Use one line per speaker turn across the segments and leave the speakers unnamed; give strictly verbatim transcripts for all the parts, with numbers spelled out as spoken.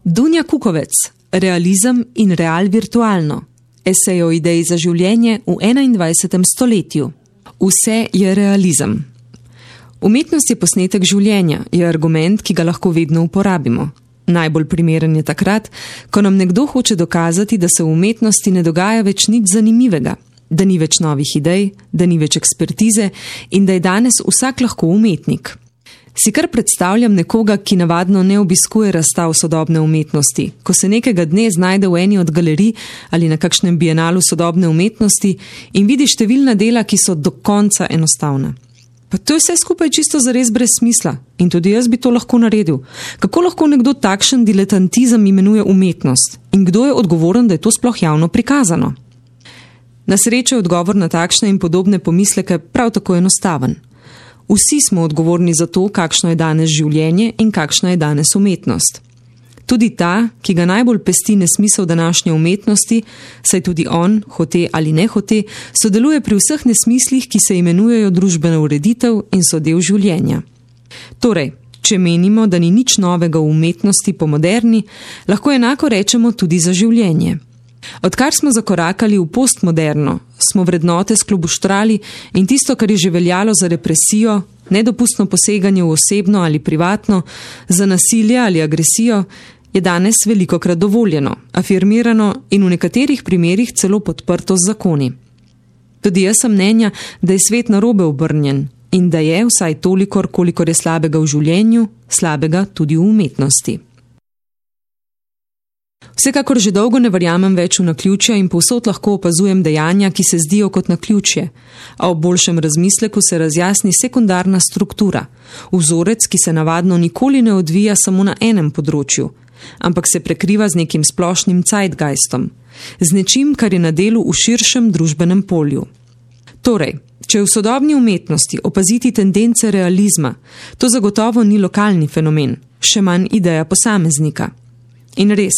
Dunja Kukovec, Realizem in real virtualno. Esej o ideji za življenje v enaindvajsetem stoletju. Vse je realizem. Umetnost je posnetek življenja, je argument, ki ga lahko vedno uporabimo. Najbolj primeren je takrat, ko nam nekdo hoče dokazati, da se v umetnosti ne dogaja več nič zanimivega, da ni več novih idej, da ni več ekspertize in da je danes vsak lahko umetnik. Si kar predstavljam nekoga, ki navadno ne obiskuje razstav sodobne umetnosti, ko se nekega dne znajde v eni od galerij ali na kakšnem bienalu sodobne umetnosti in vidi številna dela, ki so do konca enostavna. Pa to je vse skupaj čisto zares brez smisla in tudi jaz bi to lahko naredil. Kako lahko nekdo takšen diletantizem imenuje umetnost in kdo je odgovoren, da je to sploh javno prikazano? Na srečo je odgovor na takšne in podobne pomisleke prav tako enostaven. Vsi smo odgovorni za to, kakšno je danes življenje in kakšna je danes umetnost. Tudi ta, ki ga najbolj pesti nesmisel današnje umetnosti, saj tudi on, hote ali ne hote, sodeluje pri vseh nesmislih, ki se imenujejo družbena ureditev in so del življenja. Torej, če menimo, da ni nič novega v umetnosti po moderni, lahko enako rečemo tudi za življenje. Odkar smo zakorakali v postmoderno, smo vrednote sklobuštrali in tisto, kar je že veljalo za represijo, nedopustno poseganje v osebno ali privatno, za nasilje ali agresijo, je danes velikokrat dovoljeno, afirmirano in v nekaterih primerih celo podprto z zakoni. Tudi jaz sem mnenja, da je svet narobe obrnjen in da je, vsaj tolikor, kolikor je slabega v življenju, slabega tudi v umetnosti. Vsekakor že dolgo ne verjamem več v naključja in povsod lahko opazujem dejanja, ki se zdijo kot naključje, a ob boljšem razmisleku se razjasni sekundarna struktura, vzorec, ki se navadno nikoli ne odvija samo na enem področju, ampak se prekriva z nekim splošnim zeitgeistom, z nečim, kar je na delu v širšem družbenem polju. Torej, če v sodobni umetnosti opaziti tendence realizma, to zagotovo ni lokalni fenomen, še manj ideja posameznika. In res,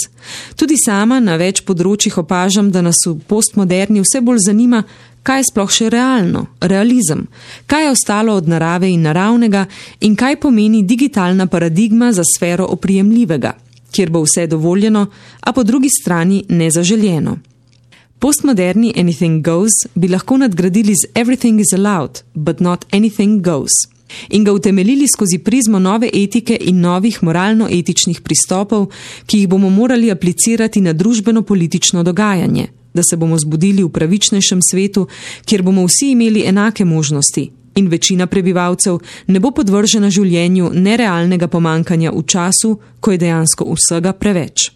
tudi sama na več področjih opažam, da nas v postmoderni vse bolj zanima, kaj je sploh še realno, realizem, kaj je ostalo od narave in naravnega in kaj pomeni digitalna paradigma za sfero oprijemljivega, kjer bo vse dovoljeno, a po drugi strani nezaželjeno. Postmoderni anything goes bi lahko nadgradili z everything is allowed, but not anything goes. In ga utemeljili skozi prizmo nove etike in novih moralno-etičnih pristopov, ki jih bomo morali aplicirati na družbeno-politično dogajanje, da se bomo zbudili v pravičnejšem svetu, kjer bomo vsi imeli enake možnosti in večina prebivalcev ne bo podvržena življenju nerealnega pomankanja v času, ko je dejansko vsega preveč.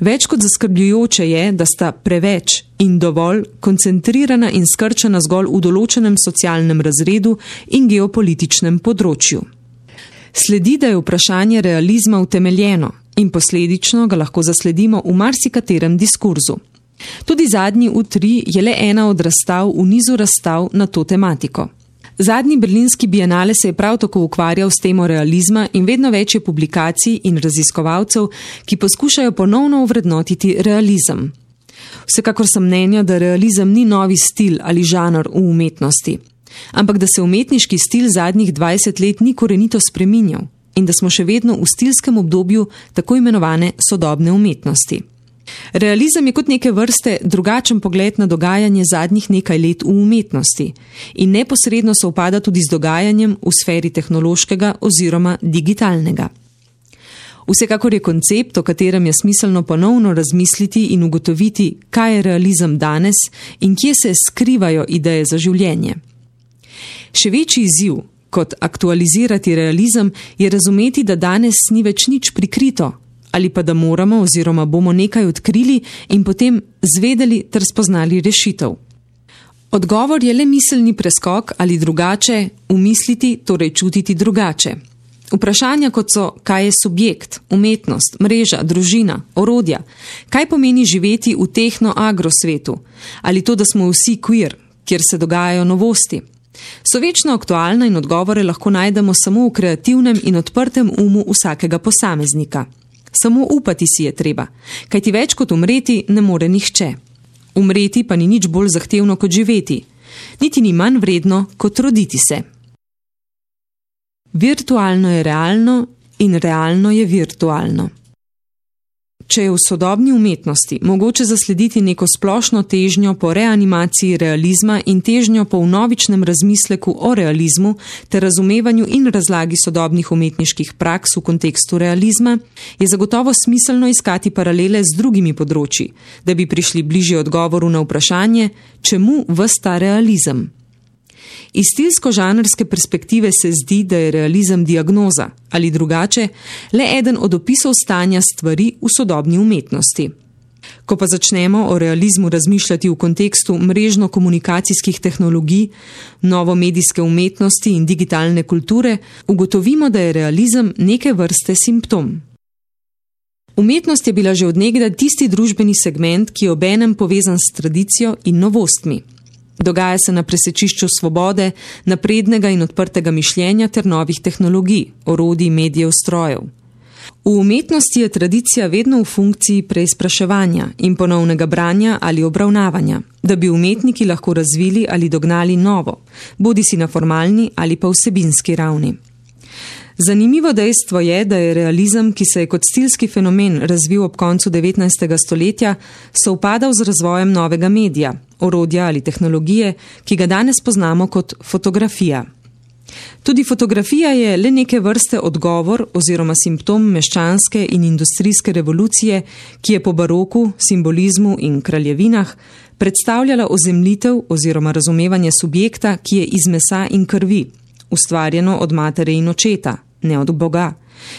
Več kot zaskrbljujoče je, da sta preveč in dovolj koncentrirana in skrčena zgolj v določenem socialnem razredu in geopolitičnem področju. Sledi, da je vprašanje realizma utemeljeno in posledično ga lahko zasledimo v marsikaterem diskurzu. Tudi zadnji U tri je le ena od razstav v nizu razstav na to tematiko. Zadnji berlinski bienale se je prav tako ukvarjal s temo realizma in vedno več je publikacij in raziskovalcev, ki poskušajo ponovno ovrednotiti realizem. Vsekakor sem mnenja, da realizem ni novi stil ali žanr v umetnosti, ampak da se umetniški stil zadnjih dvajset let ni korenito spreminjal in da smo še vedno v stilskem obdobju tako imenovane sodobne umetnosti. Realizem je kot neke vrste drugačen pogled na dogajanje zadnjih nekaj let v umetnosti in neposredno sovpada tudi z dogajanjem v sferi tehnološkega oziroma digitalnega. Vsekakor je koncept, o katerem je smiselno ponovno razmisliti in ugotoviti, kaj je realizem danes in kje se skrivajo ideje za življenje. Še večji izziv, kot aktualizirati realizem, je razumeti, da danes ni več nič prikrito, ali pa da moramo oziroma bomo nekaj odkrili in potem zvedeli ter spoznali rešitev. Odgovor je le miselni preskok ali drugače, umisliti, torej čutiti drugače. Vprašanja kot so, kaj je subjekt, umetnost, mreža, družina, orodja, kaj pomeni živeti v tehno-agro svetu, ali to, da smo vsi queer, kjer se dogajajo novosti. So večno aktualna in odgovore lahko najdemo samo v kreativnem in odprtem umu vsakega posameznika. Samo upati si je treba, kajti več kot umreti ne more nihče. Umreti pa ni nič bolj zahtevno kot živeti, niti ni manj vredno kot roditi se. Virtualno je realno in realno je virtualno. Če je v sodobni umetnosti mogoče zaslediti neko splošno težnjo po reanimaciji realizma in težnjo po vnovičnem razmisleku o realizmu ter razumevanju in razlagi sodobnih umetniških praks v kontekstu realizma, je zagotovo smiselno iskati paralele z drugimi področji, da bi prišli bližje odgovoru na vprašanje, čemu ves ta realizem. Iz stilsko-žanrske perspektive se zdi, da je realizem diagnoza ali drugače le eden od opisov stanja stvari v sodobni umetnosti. Ko pa začnemo o realizmu razmišljati v kontekstu mrežno-komunikacijskih tehnologij, novomedijske umetnosti in digitalne kulture, ugotovimo, da je realizem neke vrste simptom. Umetnost je bila že od nekdaj tisti družbeni segment, ki je obenem povezan s tradicijo in novostmi. Dogaja se na presečišču svobode, naprednega in odprtega mišljenja ter novih tehnologij, orodij, medijev, strojev. V umetnosti je tradicija vedno v funkciji preizpraševanja in ponovnega branja ali obravnavanja, da bi umetniki lahko razvili ali dognali novo, bodisi na formalni ali pa vsebinski ravni. Zanimivo dejstvo je, da je realizem, ki se je kot stilski fenomen razvil ob koncu devetnajstega stoletja, sovpadal z razvojem novega medija, orodja ali tehnologije, ki ga danes poznamo kot fotografija. Tudi fotografija je le neke vrste odgovor oziroma simptom meščanske in industrijske revolucije, ki je po baroku, simbolizmu in kraljevinah predstavljala ozemljitev oziroma razumevanje subjekta, ki je iz mesa in krvi, ustvarjeno od matere in očeta, ne od Boga,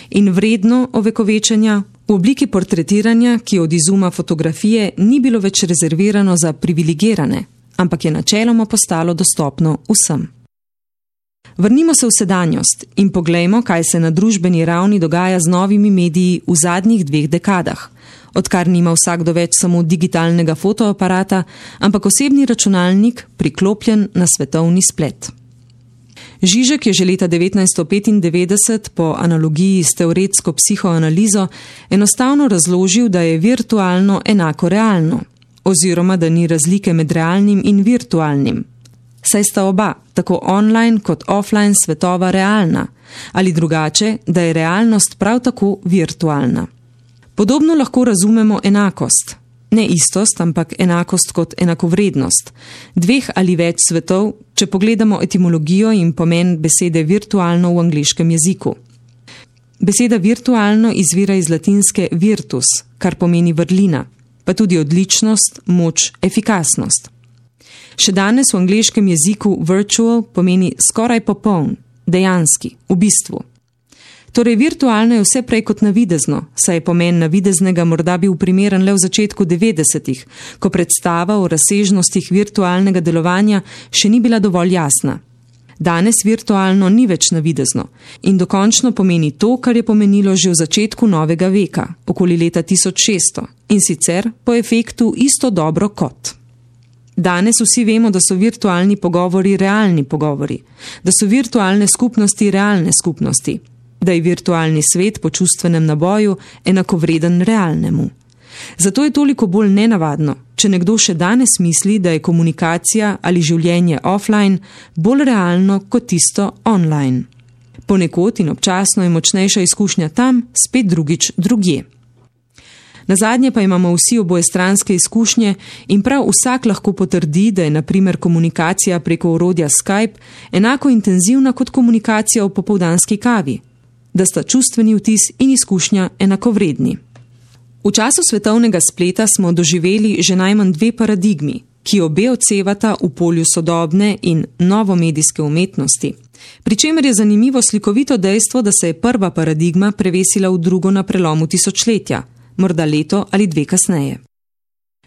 in vredno ovekovečenja v obliki portretiranja, ki od izuma fotografije ni bilo več rezervirano za privilegirane, ampak je načeloma postalo dostopno vsem. Vrnimo se v sedanjost in poglejmo, kaj se na družbeni ravni dogaja z novimi mediji v zadnjih dveh dekadah, odkar nima vsakdo več samo digitalnega fotoaparata, ampak osebni računalnik priklopljen na svetovni splet. Žižek je že leta devetnajststo petindevetdeset po analogiji s teoretsko psihoanalizo enostavno razložil, da je virtualno enako realno, oziroma da ni razlike med realnim in virtualnim. Saj sta oba, tako online kot offline svetova realna, ali drugače, da je realnost prav tako virtualna. Podobno lahko razumemo enakost. Ne istost, ampak enakost kot enakovrednost. Dveh ali več svetov, če pogledamo etimologijo in pomen besede virtualno v angleškem jeziku. Beseda virtualno izvira iz latinske virtus, kar pomeni vrlina, pa tudi odličnost, moč, efikasnost. Še danes v angleškem jeziku virtual pomeni skoraj popoln, dejanski, v bistvu. Torej, virtualno je vse prej kot navidezno, saj je pomen navideznega morda bil primeren le v začetku devetdesetih, ko predstava o razsežnostih virtualnega delovanja še ni bila dovolj jasna. Danes virtualno ni več navidezno in dokončno pomeni to, kar je pomenilo že v začetku novega veka, okoli leta tisoč šeststo, in sicer po efektu isto dobro kot. Danes vsi vemo, da so virtualni pogovori realni pogovori, da so virtualne skupnosti realne skupnosti, da je virtualni svet po čustvenem naboju enakovreden realnemu. Zato je toliko bolj nenavadno, če nekdo še danes misli, da je komunikacija ali življenje offline bolj realno kot tisto online. Ponekod in občasno je močnejša izkušnja tam, spet drugič drugje. Nazadnje pa imamo vsi obojestranske izkušnje in prav vsak lahko potrdi, da je na primer komunikacija preko orodja Skype enako intenzivna kot komunikacija v popoldanski kavi, da sta čustveni vtis in izkušnja enakovredni. V času svetovnega spleta smo doživeli že najmanj dve paradigmi, ki obe odsevata v polju sodobne in novomedijske umetnosti, pri čemer je zanimivo slikovito dejstvo, da se je prva paradigma prevesila v drugo na prelomu tisočletja, morda leto ali dve kasneje.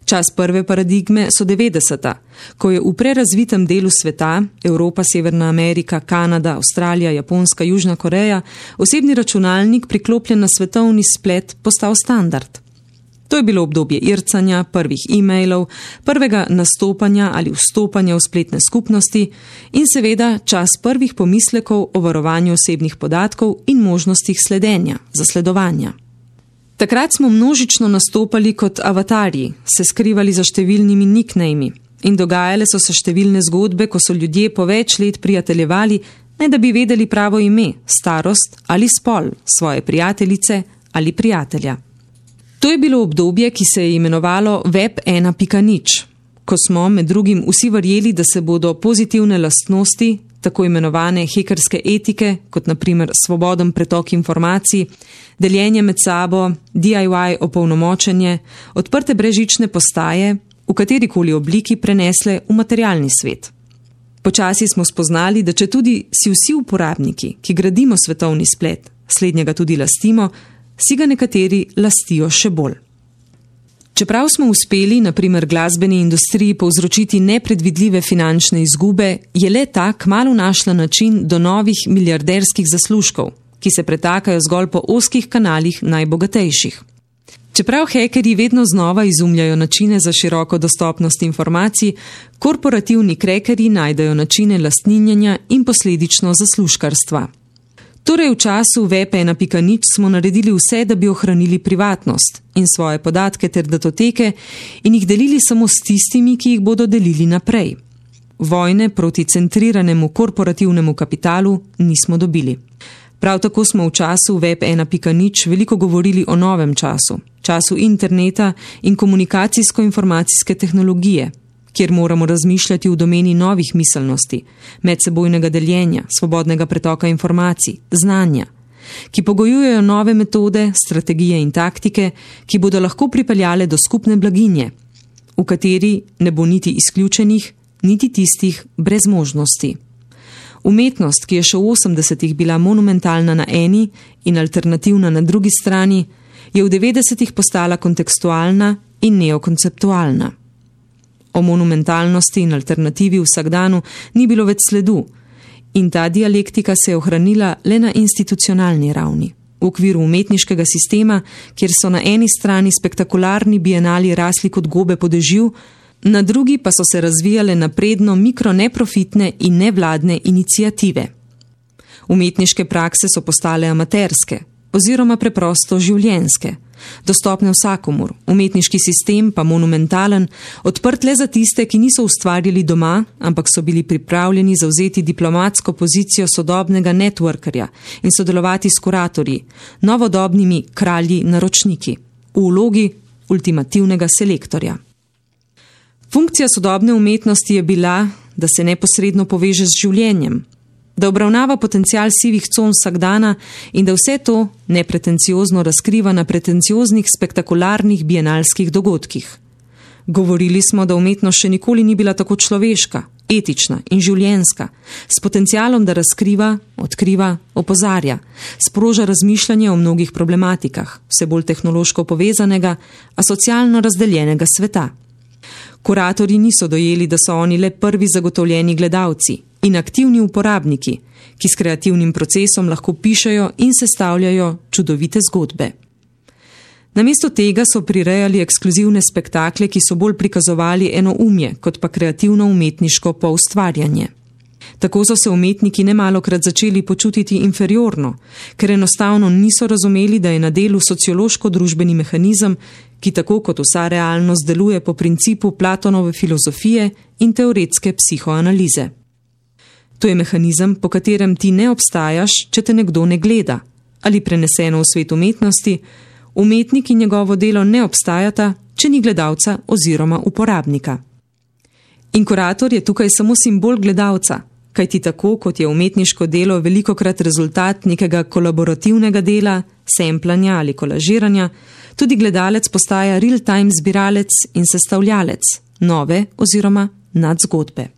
Čas prve paradigme so devetdeseta, ko je v prerazvitem delu sveta, Evropa, Severna Amerika, Kanada, Avstralija, Japonska, Južna Koreja, osebni računalnik priklopljen na svetovni splet postal standard. To je bilo obdobje ircanja, prvih e-mailov, prvega nastopanja ali vstopanja v spletne skupnosti in seveda čas prvih pomislekov o varovanju osebnih podatkov in možnostih sledenja, zasledovanja. Takrat smo množično nastopali kot avatarji, se skrivali za številnimi nicknami in dogajale so se številne zgodbe, ko so ljudje po več let prijateljevali, ne da bi vedeli pravo ime, starost ali spol svoje prijateljice ali prijatelja. To je bilo obdobje, ki se je imenovalo Web ena pika nič, ko smo med drugim vsi verjeli, da se bodo pozitivne lastnosti, tako imenovane hekerske etike, kot na primer svoboden pretok informacij, deljenje med sabo, D I Y opolnomočenje, odprte brezžične postaje, v katerikoli obliki prenesle v materialni svet. Počasi smo spoznali, da če tudi si vsi uporabniki, ki gradimo svetovni splet, slednjega tudi lastimo, si ga nekateri lastijo še bolj. Čeprav smo uspeli, na primer glasbeni industriji, povzročiti nepredvidljive finančne izgube, je le ta kmalu našla način do novih milijarderskih zaslužkov, ki se pretakajo zgolj po ozkih kanalih najbogatejših. Čeprav hekerji vedno znova izumljajo načine za široko dostopnost informacij, korporativni krekerji najdejo načine lastninjenja in posledično zaslužkarstva. Torej v času Web ena pika nič smo naredili vse, da bi ohranili privatnost in svoje podatke ter datoteke in jih delili samo s tistimi, ki jih bodo delili naprej. Vojne proti centriranemu korporativnemu kapitalu nismo dobili. Prav tako smo v času Web ena pika nič veliko govorili o novem času, času interneta in komunikacijsko-informacijske tehnologije, kjer moramo razmišljati v domeni novih miselnosti, medsebojnega deljenja, svobodnega pretoka informacij, znanja, ki pogojujejo nove metode, strategije in taktike, ki bodo lahko pripeljale do skupne blaginje, v kateri ne bo niti izključenih, niti tistih brez možnosti. Umetnost, ki je še v osemdesetih bila monumentalna na eni in alternativna na drugi strani, je v devetdesetih postala kontekstualna in neokonceptualna. O monumentalnosti in alternativi v vsakdanu ni bilo več sledu in ta dialektika se je ohranila le na institucionalni ravni, v okviru umetniškega sistema, kjer so na eni strani spektakularni bienali rasli kot gobe po dežju, na drugi pa so se razvijale napredno mikroneprofitne in nevladne iniciative. Umetniške prakse so postale amaterske oziroma preprosto življenjske, dostopne vsakomur, umetniški sistem pa monumentalen, odprt le za tiste, ki niso ustvarjali doma, ampak so bili pripravljeni zavzeti diplomatsko pozicijo sodobnega networkerja in sodelovati s kuratorji, novodobnimi kralji naročniki, v vlogi ultimativnega selektorja. Funkcija sodobne umetnosti je bila, da se neposredno poveže z življenjem, da obravnava potencial sivih con vsakdana in da vse to nepretenciozno razkriva na pretencioznih spektakularnih bienalskih dogodkih. Govorili smo, da umetnost še nikoli ni bila tako človeška, etična in življenjska, s potencialom, da razkriva, odkriva, opozarja, sproža razmišljanje o mnogih problematikah, vse bolj tehnološko povezanega, a socialno razdeljenega sveta. Kuratorji niso dojeli, da so oni le prvi zagotovljeni gledalci in aktivni uporabniki, ki s kreativnim procesom lahko pišejo in sestavljajo čudovite zgodbe. Namesto tega so prirejali ekskluzivne spektakle, ki so bolj prikazovali enoumje, kot pa kreativno umetniško poustvarjanje. Tako so se umetniki nemalokrat začeli počutiti inferiorno, ker enostavno niso razumeli, da je na delu sociološko-družbeni mehanizem, ki tako kot vsa realnost deluje po principu Platonove filozofije in teoretske psihoanalize. To je mehanizem, po katerem ti ne obstajaš, če te nekdo ne gleda, ali preneseno v svet umetnosti, umetnik in njegovo delo ne obstajata, če ni gledalca oziroma uporabnika. In kurator je tukaj samo simbol gledalca, kajti tako, kot je umetniško delo velikokrat rezultat nekega kolaborativnega dela, semplanja ali kolažiranja, tudi gledalec postaja real-time zbiralec in sestavljalec nove oziroma nadzgodbe.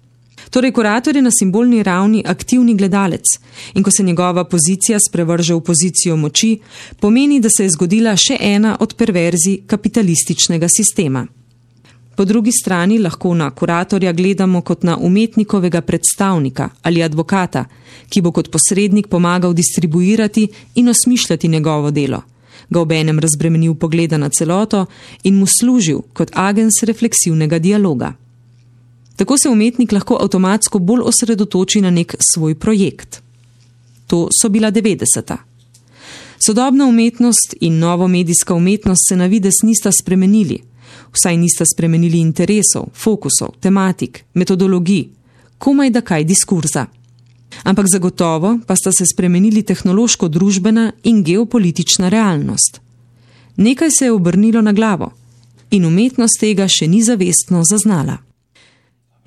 Torej, kurator je na simbolni ravni aktivni gledalec in ko se njegova pozicija sprevrže v pozicijo moči, pomeni, da se je zgodila še ena od perverzij kapitalističnega sistema. Po drugi strani lahko na kuratorja gledamo kot na umetnikovega predstavnika ali advokata, ki bo kot posrednik pomagal distribuirati in osmišljati njegovo delo, ga obenem razbremenil pogleda na celoto in mu služil kot agens refleksivnega dialoga. Tako se umetnik lahko avtomatsko bolj osredotoči na nek svoj projekt. To so bila devetdeseta. Sodobna umetnost in novomedijska umetnost se na videz nista spremenili, vsaj nista spremenili interesov, fokusov, tematik, metodologij, komaj da kaj diskurza. Ampak zagotovo pa sta se spremenili tehnološko-družbena in geopolitična realnost. Nekaj se je obrnilo na glavo in umetnost tega še ni zavestno zaznala.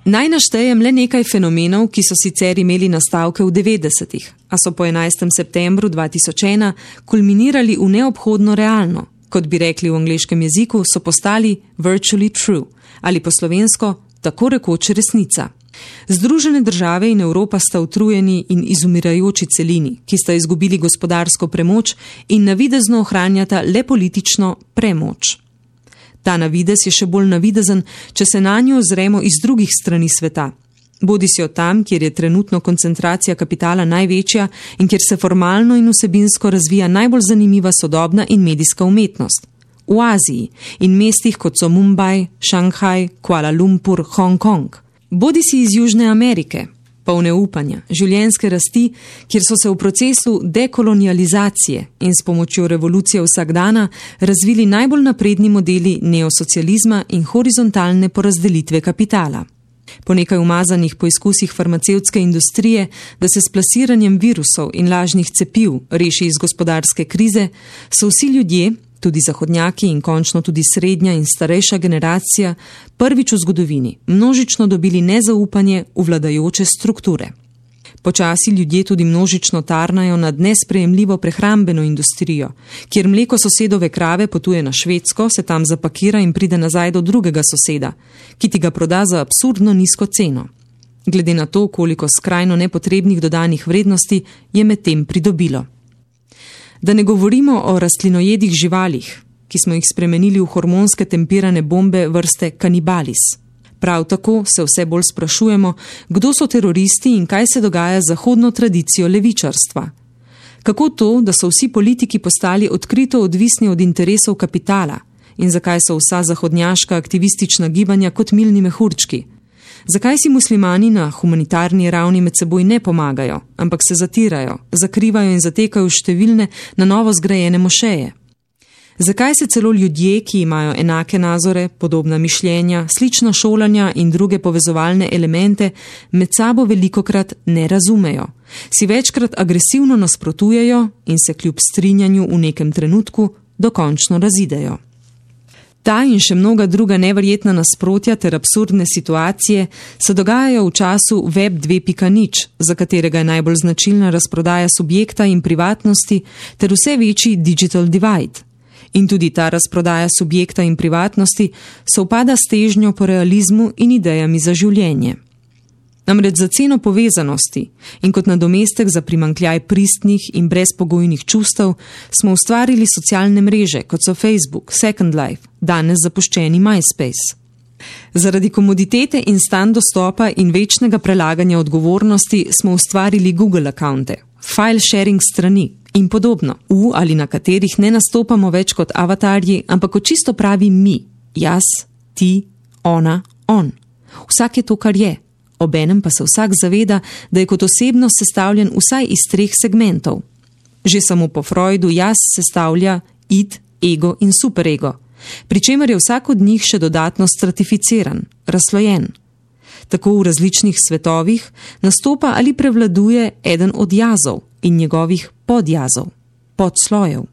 Naj naštejem le nekaj fenomenov, ki so sicer imeli nastavke v devetdesetih, a so po enajstem septembru dva tisoč ena kulminirali v neobhodno realno, kot bi rekli v angleškem jeziku, so postali virtually true ali po slovensko tako rekoč resnica. Združene države in Evropa sta utrujeni in izumirajoči celini, ki sta izgubili gospodarsko premoč in navidezno ohranjata le politično premoč. Ta navidez je še bolj navidezen, če se na njo ozremo iz drugih strani sveta. Bodi si od tam, kjer je trenutno koncentracija kapitala največja in kjer se formalno in vsebinsko razvija najbolj zanimiva sodobna in medijska umetnost. V Aziji in mestih kot so Mumbai, Šanghaj, Kuala Lumpur, Hong Kong. Bodi si iz Južne Amerike, polne upanja, življenjske rasti, kjer so se v procesu dekolonializacije in s pomočjo revolucije vsakdana razvili najbolj napredni modeli neosocializma in horizontalne porazdelitve kapitala. Po nekaj umazanih poizkusih farmacevtske industrije, da se s plasiranjem virusov in lažnih cepiv reši iz gospodarske krize, so vsi ljudje, tudi zahodnjaki in končno tudi srednja in starejša generacija, prvič v zgodovini množično dobili nezaupanje v vladajoče strukture. Počasi ljudje tudi množično tarnajo nad nesprejemljivo prehrambeno industrijo, kjer mleko sosedove krave potuje na Švedsko, se tam zapakira in pride nazaj do drugega soseda, ki ti ga proda za absurdno nizko ceno. Glede na to, koliko skrajno nepotrebnih dodanih vrednosti je med tem pridobilo. Da ne govorimo o rastlinojedih živalih, ki smo jih spremenili v hormonske tempirane bombe vrste kanibalis. Prav tako se vse bolj sprašujemo, kdo so teroristi in kaj se dogaja z zahodno tradicijo levičarstva. Kako to, da so vsi politiki postali odkrito odvisni od interesov kapitala in zakaj so vsa zahodnjaška aktivistična gibanja kot milni mehurčki? Zakaj si muslimani na humanitarni ravni med seboj ne pomagajo, ampak se zatirajo, zakrivajo in zatekajo številne na novo zgrajene mošeje? Zakaj se celo ljudje, ki imajo enake nazore, podobna mišljenja, slična šolanja in druge povezovalne elemente, med sabo velikokrat ne razumejo, si večkrat agresivno nasprotujejo in se kljub strinjanju v nekem trenutku dokončno razidejo? Ta in še mnoga druga neverjetna nasprotja ter absurdne situacije se dogajajo v času web dve pika nič, za katerega je najbolj značilna razprodaja subjekta in privatnosti ter vse večji digital divide. In tudi ta razprodaja subjekta in privatnosti sovpada s težnjo po realizmu in idejami za življenje. Namreč za ceno povezanosti in kot nadomestek za primanjkljaj pristnih in brezpogojnih čustev smo ustvarili socialne mreže, kot so Facebook, Second Life, danes zapuščeni MySpace. Zaradi komoditete in stan dostopa in večnega prelaganja odgovornosti smo ustvarili Google akaunte, file sharing strani in podobno, v ali na katerih ne nastopamo več kot avatarji, ampak kot čisto pravi mi, jaz, ti, ona, on. Vsak je to, kar je. Obenem pa se vsak zaveda, da je kot osebnost sestavljen vsaj iz treh segmentov. Že samo po Freudu jaz sestavlja id, ego in superego, pri čemer je vsak od njih še dodatno stratificiran, razslojen. Tako v različnih svetovih nastopa ali prevladuje eden od jazov in njegovih podjazov, podslojev.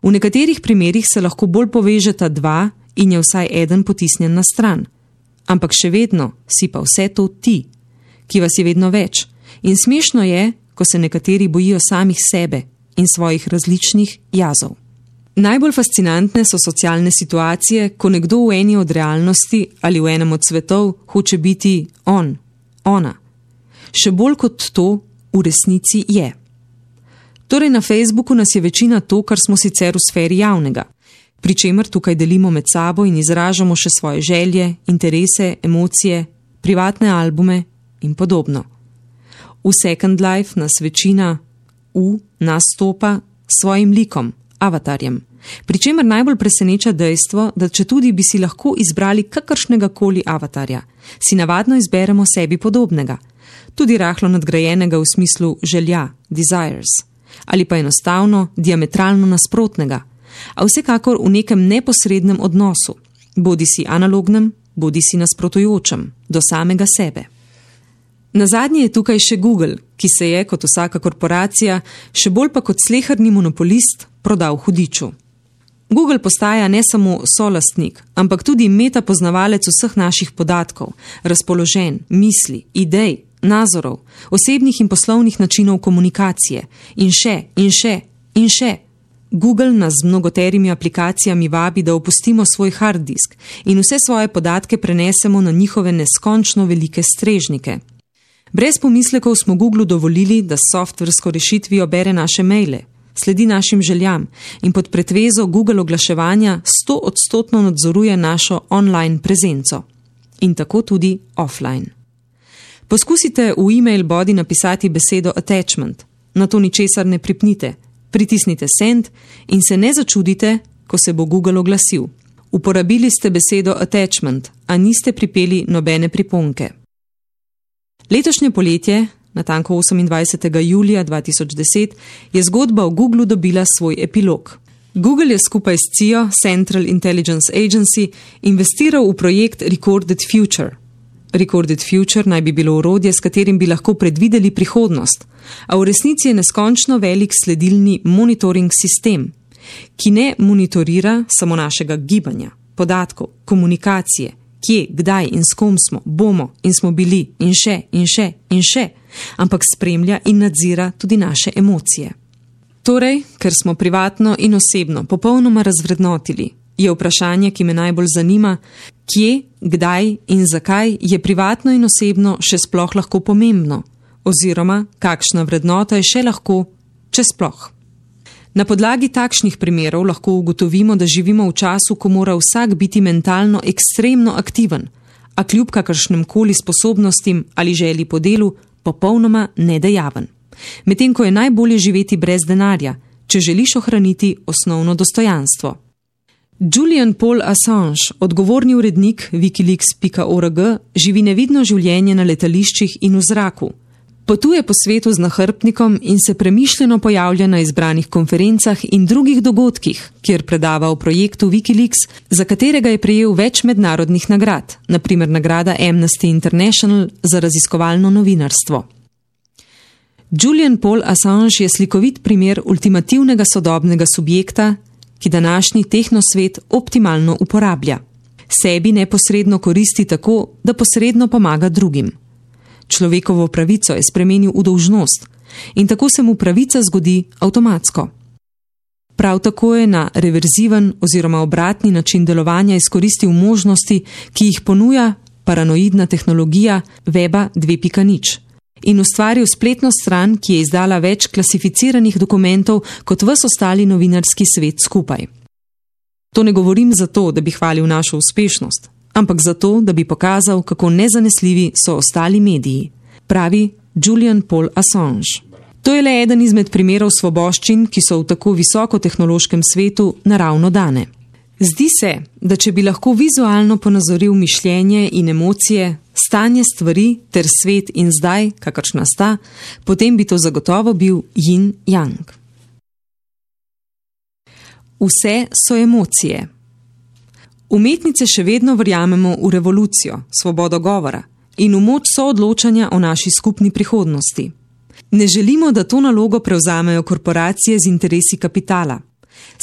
V nekaterih primerih se lahko bolj povežeta dva in je vsaj eden potisnjen na stran. Ampak še vedno si pa vse to ti, ki vas je vedno več. In smešno je, ko se nekateri bojijo samih sebe in svojih različnih jazov. Najbolj fascinantne so socialne situacije, ko nekdo v eni od realnosti ali v enem od svetov hoče biti on, ona. Še bolj kot to v resnici je. Torej na Facebooku nas je večina to, kar smo sicer v sferi javnega, pri čemer tukaj delimo med sabo in izražamo še svoje želje, interese, emocije, privatne albume in podobno. V Second Life nas večina v nastopa s svojim likom, avatarjem, pri čemer najbolj preseneča dejstvo, da četudi bi si lahko izbrali kakršnega koli avatarja, si navadno izberemo sebi podobnega, tudi rahlo nadgrajenega v smislu želja, desires, ali pa enostavno diametralno nasprotnega, a vsekakor v nekem neposrednem odnosu, bodi si analognem, bodi si nasprotujočem, do samega sebe. Nazadnje je tukaj še Google, ki se je, kot vsaka korporacija, še bolj pa kot sleherni monopolist, prodal hudiču. Google postaja ne samo solastnik, ampak tudi metapoznavalec vseh naših podatkov, razpoloženj, misli, idej, nazorov, osebnih in poslovnih načinov komunikacije in še, in še, in še. Google nas z mnogoterimi aplikacijami vabi, da opustimo svoj hard disk in vse svoje podatke prenesemo na njihove neskončno velike strežnike. Brez pomislekov smo Googlu dovolili, da s softversko rešitvijo bere naše maile, sledi našim željam in pod pretvezo Google oglaševanja sto odstotno nadzoruje našo online prezenco. In tako tudi offline. Poskusite v e-mail body napisati besedo attachment, na to ničesar ne pripnite, pritisnite send in se ne začudite, ko se bo Google oglasil. Uporabili ste besedo attachment, a niste pripeli nobene priponke. Letošnje poletje, natanko osemindvajsetega julija dva tisoč deset, je zgodba o Googlu dobila svoj epilog. Google je skupaj s C I O, Central Intelligence Agency, investiral v projekt Recorded Future. Recorded Future naj bi bilo orodje, s katerim bi lahko predvideli prihodnost, a v resnici je neskončno velik sledilni monitoring sistem, ki ne monitorira samo našega gibanja, podatkov, komunikacije, kje, kdaj in s kom smo, bomo in smo bili in še in še in še, ampak spremlja in nadzira tudi naše emocije. Torej, ker smo privatno in osebno popolnoma razvrednotili, je vprašanje, ki me najbolj zanima, kje, kdaj in zakaj je privatno in osebno še sploh lahko pomembno, oziroma kakšna vrednota je še lahko, če sploh. Na podlagi takšnih primerov lahko ugotovimo, da živimo v času, ko mora vsak biti mentalno ekstremno aktiven, a kljub kakršnem koli sposobnostim ali želji po delu popolnoma nedejaven. Medtem ko je najbolje živeti brez denarja, če želiš ohraniti osnovno dostojanstvo. Julian Paul Assange, odgovorni urednik wikileaks pika org, živi nevidno življenje na letališčih in v zraku. Potuje po svetu z nahrbtnikom in se premišljeno pojavlja na izbranih konferencah in drugih dogodkih, kjer predava o projektu Wikileaks, za katerega je prejel več mednarodnih nagrad, na primer nagrada Amnesty International za raziskovalno novinarstvo. Julian Paul Assange je slikovit primer ultimativnega sodobnega subjekta, ki današnji tehnosvet optimalno uporablja. Sebi neposredno koristi tako, da posredno pomaga drugim. Človekovo pravico je spremenil v dolžnost in tako se mu pravica zgodi avtomatsko. Prav tako je na reverziven oziroma obratni način delovanja izkoristil možnosti, ki jih ponuja paranoidna tehnologija Weba dve pika nič in ustvaril spletno stran, ki je izdala več klasificiranih dokumentov kot ves ostali novinarski svet skupaj. To ne govorim zato, da bi hvalil našo uspešnost, ampak zato, da bi pokazal, kako nezanesljivi so ostali mediji, pravi Julian Paul Assange. To je le eden izmed primerov svoboščin, ki so v tako visokotehnološkem svetu naravno dane. Zdi se, da če bi lahko vizualno ponazoril mišljenje in emocije, stanje stvari ter svet in zdaj, kakršna sta, potem bi to zagotovo bil yin-yang. Vse so emocije. Umetnice še vedno verjamemo v revolucijo, svobodo govora in v moč soodločanja o naši skupni prihodnosti. Ne želimo, da to nalogo prevzamejo korporacije z interesi kapitala,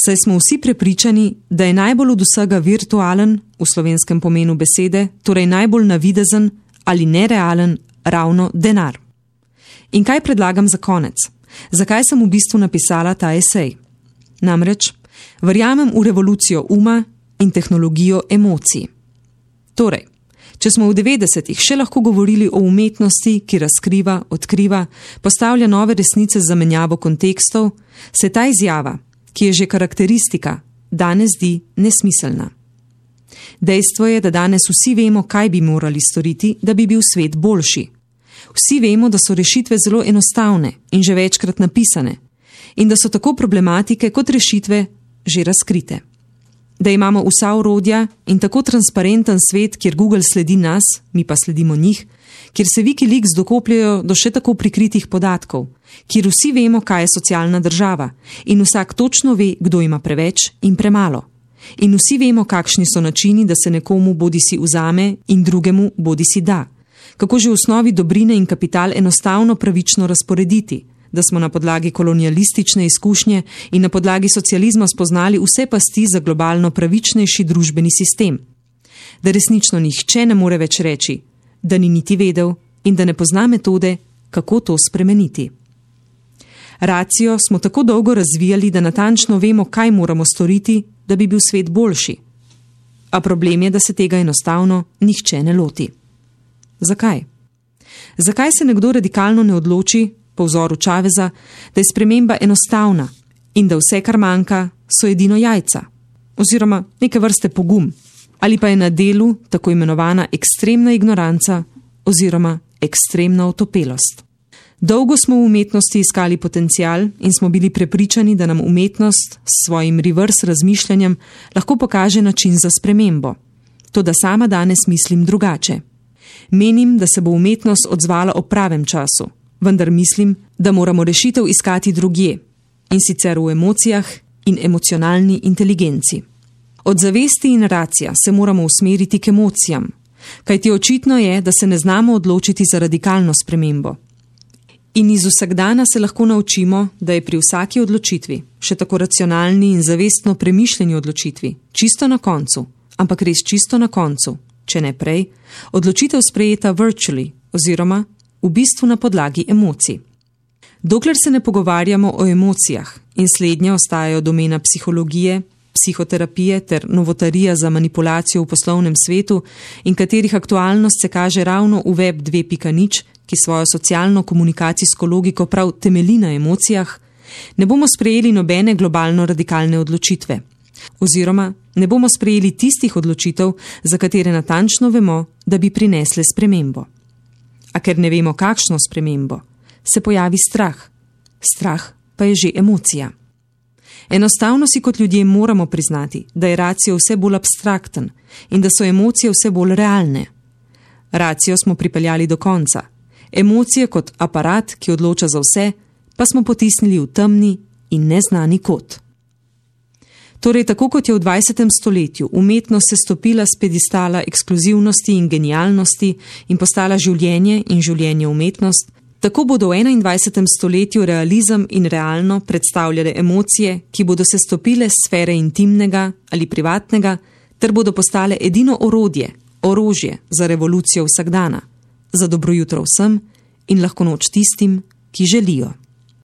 saj smo vsi prepričani, da je najbolj od vsega virtualen, v slovenskem pomenu besede, torej najbolj navidezen ali nerealen ravno denar. In kaj predlagam za konec? Zakaj sem v bistvu napisala ta esej? Namreč, verjamem v revolucijo uma in tehnologijo emocij. Torej, če smo v devetdesetih še lahko govorili o umetnosti, ki razkriva, odkriva, postavlja nove resnice z zamenjavo kontekstov, se ta izjava, ki je že karakteristika, danes zdi nesmiselna. Dejstvo je, da danes vsi vemo, kaj bi morali storiti, da bi bil svet boljši. Vsi vemo, da so rešitve zelo enostavne in že večkrat napisane in da so tako problematike kot rešitve že razkrite. Da imamo vsa orodja in tako transparenten svet, kjer Google sledi nas, mi pa sledimo njih, kjer se Wikileaks dokopljajo do še tako prikritih podatkov, kjer vsi vemo, kaj je socialna država in vsak točno ve, kdo ima preveč in premalo. In vsi vemo, kakšni so načini, da se nekomu bodisi vzame in drugemu bodisi da. Kako že v osnovi dobrine in kapital enostavno pravično razporediti, da smo na podlagi kolonialistične izkušnje in na podlagi socializma spoznali vse pasti za globalno pravičnejši družbeni sistem. Da resnično nihče ne more več reči, da ni niti vedel in da ne pozna metode, kako to spremeniti. Racijo smo tako dolgo razvijali, da natančno vemo, kaj moramo storiti, da bi bil svet boljši. A problem je, da se tega enostavno nihče ne loti. Zakaj? Zakaj se nekdo radikalno ne odloči, po vzoru Chaveza, da je sprememba enostavna in da vse, kar manjka, so edino jajca, oziroma neke vrste pogum, ali pa je na delu tako imenovana ekstremna ignoranca oziroma ekstremna otopelost. Dolgo smo v umetnosti iskali potencial in smo bili prepričani, da nam umetnost s svojim reverse razmišljanjem lahko pokaže način za spremembo. Toda sama danes mislim drugače. Menim, da se bo umetnost odzvala ob pravem času, vendar mislim, da moramo rešitev iskati drugje, in sicer v emocijah in emocionalni inteligenci. Od zavesti in racija se moramo usmeriti k emocijam, kajti očitno je, da se ne znamo odločiti za radikalno spremembo. In iz vsakdana se lahko naučimo, da je pri vsaki odločitvi, še tako racionalni in zavestno premišljeni odločitvi, čisto na koncu, ampak res čisto na koncu, če ne prej, odločitev sprejeta virtually oziroma v bistvu na podlagi emocij. Dokler se ne pogovarjamo o emocijah in slednje ostajajo domena psihologije, psihoterapije ter novotarija za manipulacijo v poslovnem svetu in katerih aktualnost se kaže ravno v web dve pika nič, ki svojo socialno-komunikacijsko logiko prav temelji na emocijah, ne bomo sprejeli nobene globalno radikalne odločitve. Oziroma, ne bomo sprejeli tistih odločitev, za katere natančno vemo, da bi prinesle spremembo. A ker ne vemo, kakšno spremembo, se pojavi strah. Strah pa je že emocija. Enostavno si kot ljudje moramo priznati, da je racio vse bolj abstrakten in da so emocije vse bolj realne. Racio smo pripeljali do konca. Emocije kot aparat, ki odloča za vse, pa smo potisnili v temni in neznani kot. Torej, tako kot je v dvajsetem stoletju umetnost se stopila s pedestala ekskluzivnosti in genialnosti in postala življenje in življenje umetnost, tako bodo v enaindvajsetem stoletju realizem in realno predstavljale emocije, ki bodo se stopile s sfere intimnega ali privatnega, ter bodo postale edino orodje, orožje za revolucijo vsakdana, za dobro jutro vsem in lahko noč tistim, ki želijo.